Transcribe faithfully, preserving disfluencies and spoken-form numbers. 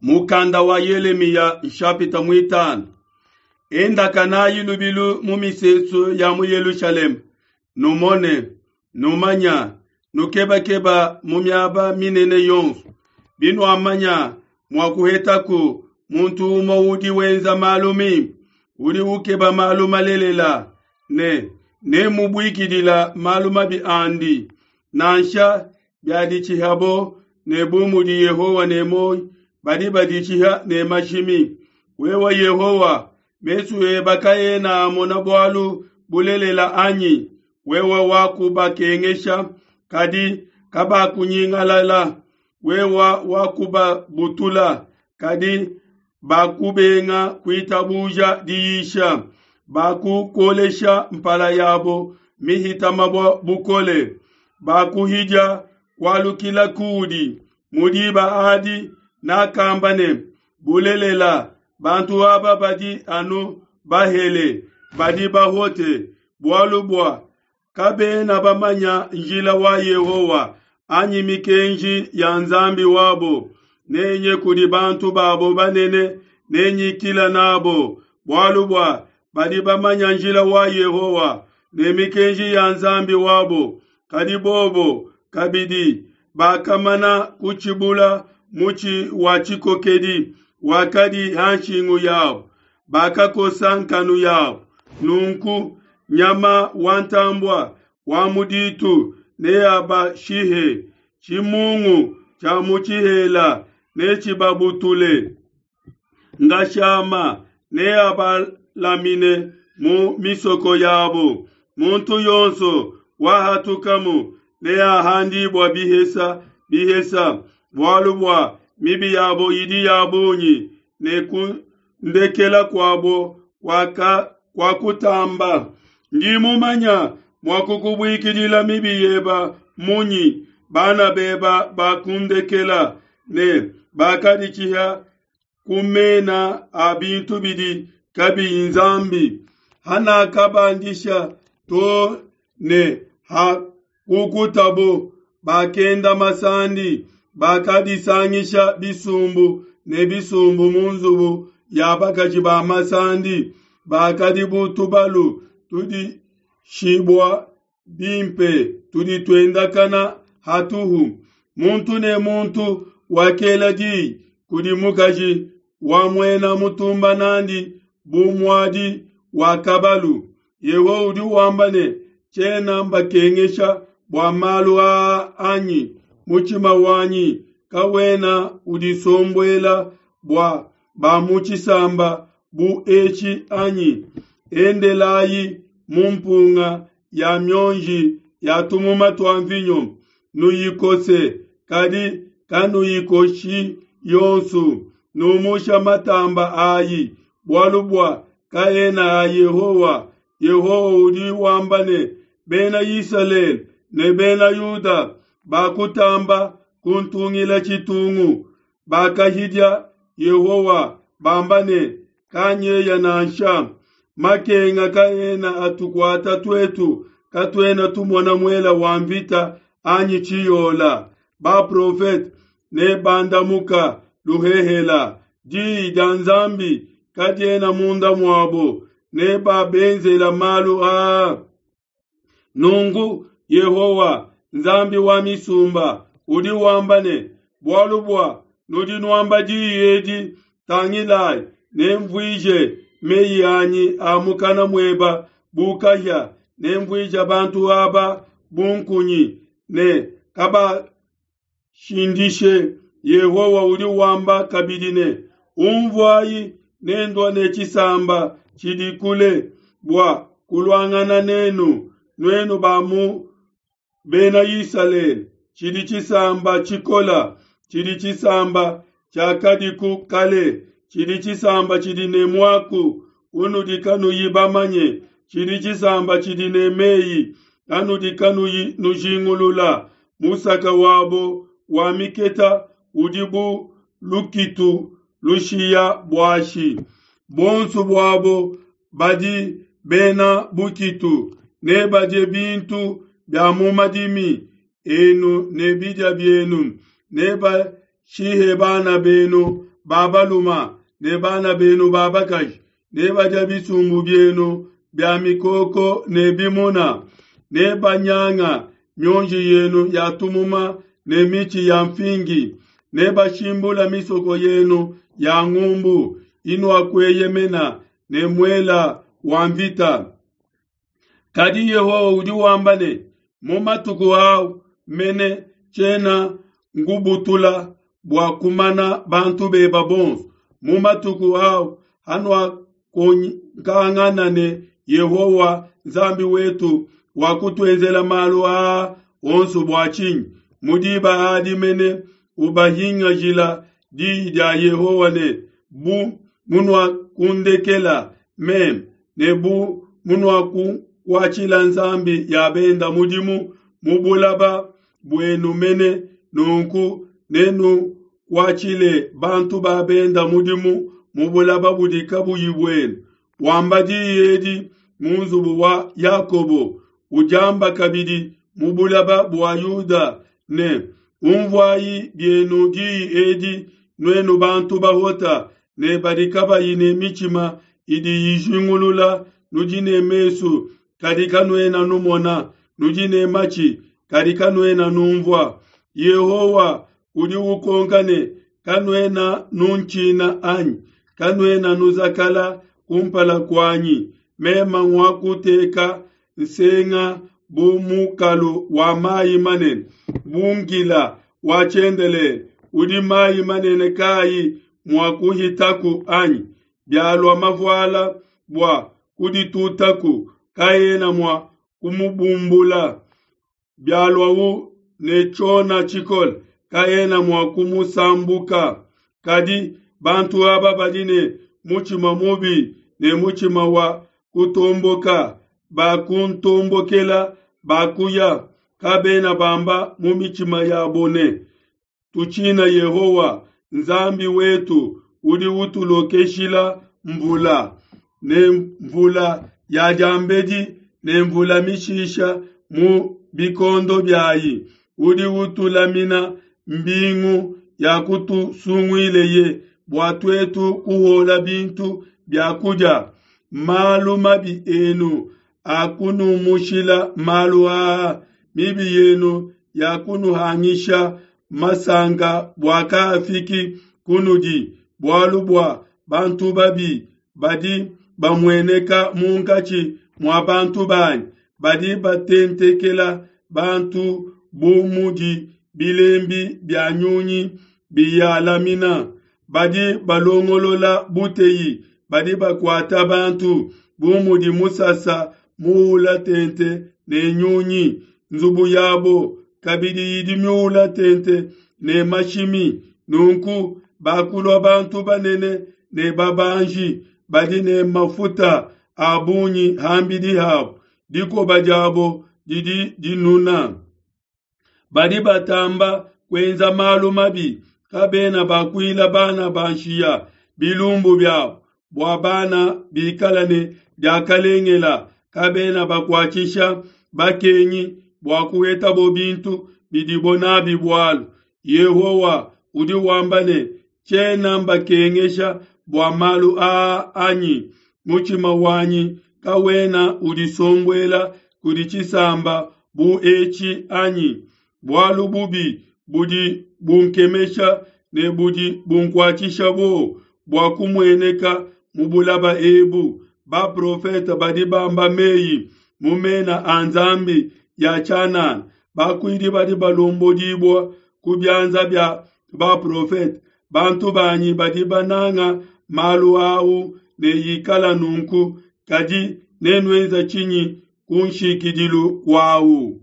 Mukanda wa Yelemiya nshapita muitanu. Endakanayi lubilu mu misesu ya mu Yelushalema, numone, numanya, nukebakeba mu miaba minene yonso. Binuamanya mua kuhetaku muntu umue udi wenza malu mimpe, udi ukeba malu malelela, ne nemubuikidila malu mabi andi, nansha biaditshihabo ne bu mudi Yehowa ne muoyo, badi baditshiha ne mashimi. Wewe Yehowa, mesu eba kaena amona bualu bulelela anyi? Wewe wakubakengesha, kadi kabakunyingalala. Wewe wakubabutula, kadi bakubenga kuitabuja diyisha. Bakukolesha mpala yabo mihita mabua bukole. Bakuhidia kualukila kudi. Mu diba adi nakamba ne, bulelela, bantu aba badi anu bahele, badi bahote, bualu bua kabena bamanya njila wa Yehowa anyi mikenji ya Nzambi wabo. Nenye kudi bantu babo banene, nenyikila nabo, bualu bua badi bamanya njila wa Yehowa ne mikenji ya Nzambi wabo. Kadi bobo kabidi bakamana kutshibula mutshi wa tshikokedi wakadi ha nshingu yabo, bakakosa nkanu yabo. Nunku nyama wa ntambua wa mu ditu neabashihe, tshimungu tshia mu tshihela netshibabutule. Ngashama neabalamine mu misoko yabo, muntu yonso wahatukamu neahandibua bihesa bihesa, bualu bua mibi yabo idi ya bungi, ne kundekela kuabo kuakutamba. Ndi mumanya mua kukubuikidila mibi yeba munyi? Bana beba bakundekela ne bakaditshiha ku mena a bintu bidi kabiyi Nzambi. Hanakabandisha to ne hakukutabo, bakenda masandi, bakadisangisha bisumbu ne bisumbu mu nzubu ya bakaji ba masandi. Bakadi bu tubalu tudishibua bimpe tudi tuendakana hatuhu. Muntu ne muntu wakela diyi kudi mukaji wa muena mutumba nandi bu muadi wa kabalu. Yehowa udi wamba ne, tshiena mbakengesha bua malu aa anyi? Mutshima wanyi kawena udisombuela bua ba mu tshisamba bu etshi anyi? Endelayi mu mpunga ya mionji ya tumuma tua mvinyo, nuyikose, kadi kanuyikoshi yonso. Numusha matamba ayi, bualu bua kaena a Yehowa. Yehowa udi wamba ne, Bena Isalele ne Bena Yuda bakutamba kuntungila tshitungu, bakahidia Yehowa bamba ne, kanyeya nansha. Makenga kaena atukuata tuetu, katuena tumona muela wa mvita anyi tshiyola. Baprofete ne bandamuka luhehela, diyi dia Nzambi kadiena munda muabo, ne babenzela malu aa. Nunku Yehowa Nzambi wa misumba udi wamba ne, bualu bua nudi nuamba diyi edi, tangilayi, nemvuije meyi anyi a mukana mueba bu kahia, nemvuije bantu aba bu nkunyi, ne kabashindishe. Yehowa udi wamba kabidi ne, umvuayi, nendua ne tshisamba tshidi kule bua kuluangana nenu, nuenu ba mu Bena Isalele. Tshidi tshisamba tshikola, tshidi tshisamba tshiakadiku kale, tshidi tshisamba tshidi ne muaku unudi kanuyi bamanye, tshidi tshisamba tshidi ne meyi anudi kanuyi nujingulula. Musaka wabo wa miketa udi bu lukitu lushiya buashi. Bonso buabo badi bena bukitu, ne badie bintu bia mu madimi enu ne bidia bienu, ne bashihe bana benu ba baluma ne bana benu ba bakaji, nebadia bisumbu bienu bia mikoko ne bimuna, nebanyanga mionji yenu ya tumuma ne mitshi ya mfingi, nebashimbula misoko yenu ya ngumbu inuakueyemena ne muela wa mvita. Kadi Yehowa udi wamba ne, mu matuku au mene tshiena ngubutula bua kumana bantu beba bonso. Mu matuku au hanuakonkangana ne Yehowa Nzambi wetu wakutuenzela malu aa onso bua tshinyi? Mu diba adi mene ubahingajila diyi dia Yehowa ne, bu munuakundekela meme ne bu munuakukuatshila nzambi ya benda mudimu mu bulaba buenu mene, nunku nenukuatshile bantu ba benda mudimu mu bulaba budi kabuyi buenu. Wamba diyi edi mu nzubu wa Yakobo, udiamba kabidi mu bulaba bua Yuda ne, umvuayi bienu diyi edi nuenu bantu bahota ne badi kabayi ne mitshima idi ijingulula, nudi ne mesu kadi kanuena numona, nudi ne matshi kadi kanuena numvua. Yehowa udi ukonka ne, kanuena nuntshina anyi? Kanuena nuzakala kumpala kuanyi? Mema ngwakuteka nsenga bu mukalu wa mayi manene, bu ngila wa tshiendelele udi mayi manene kayi mua kuhitaku anyi? Bialua mavuala bua kuditutaku, kaena mua kumubumbula. Bialuawu ne tshiona tshikole, kaena mua kumusambuka. Kadi bantu aba badi ne mutshima mubi ne mutshima wa kutomboka, bakuntombokela, bakuya, kabena bamba mu mitshima yabo ne, tutshina Yehowa Nzambi wetu udi utulokeshila mvula ne mvula ya diambedi ne mvula mishisha mu bikondo biayi, udi utulamina mbingu ya kutusunguileye bua tuetu kuhola bintu bia kudia. Malu mabi enu akunumushila malu aa, mibi yenu yakunuhangisha masanka bua kaafiki kunudi, bualu bua bantu babi badi bamueneka munkatshi mua bantu banyi, badi batentekela bantu bu mudi bilembi bia nyunyi biyalamina, badi balongolola buteyi, badi bakuata bantu bu mudi musasa muula tente ne nyunyi. Nzubu yabo kabidi idi miula tente ne mashimi. Nunku bakulua bantu banene ne babanji, badi ne mafuta a bungi hambidi habo, dikoba diabo didi dinuna. Badi batamba kuenza malu mabi, kabena bakuila bana ba nshiya bilumbu biabo, bua bana bikala ne diakalengela, kabena bakuatshisha bakengi bua kuhetabo bintu bidibo nabi bualu. Yehowa udi wamba ne, tshiena mbakengesha bua malu aa anyi? Mutshima wanyi kawena udisombuela kudi tshisamba bu etshi anyi? Bualu bubi budi bunkemesha ne budi bunkuatshisha buowa bua kumueneka mu bulaba ebu. Baprofete badi bamba meyi mu mena a nzambi ya tshianana, bakuidi badi balombodibua ku bianza bia baprofete. Bantu banyi badi bananga malu au ne yikala nunku, kadi nenuenza tshinyi ku nshikidilu kuau?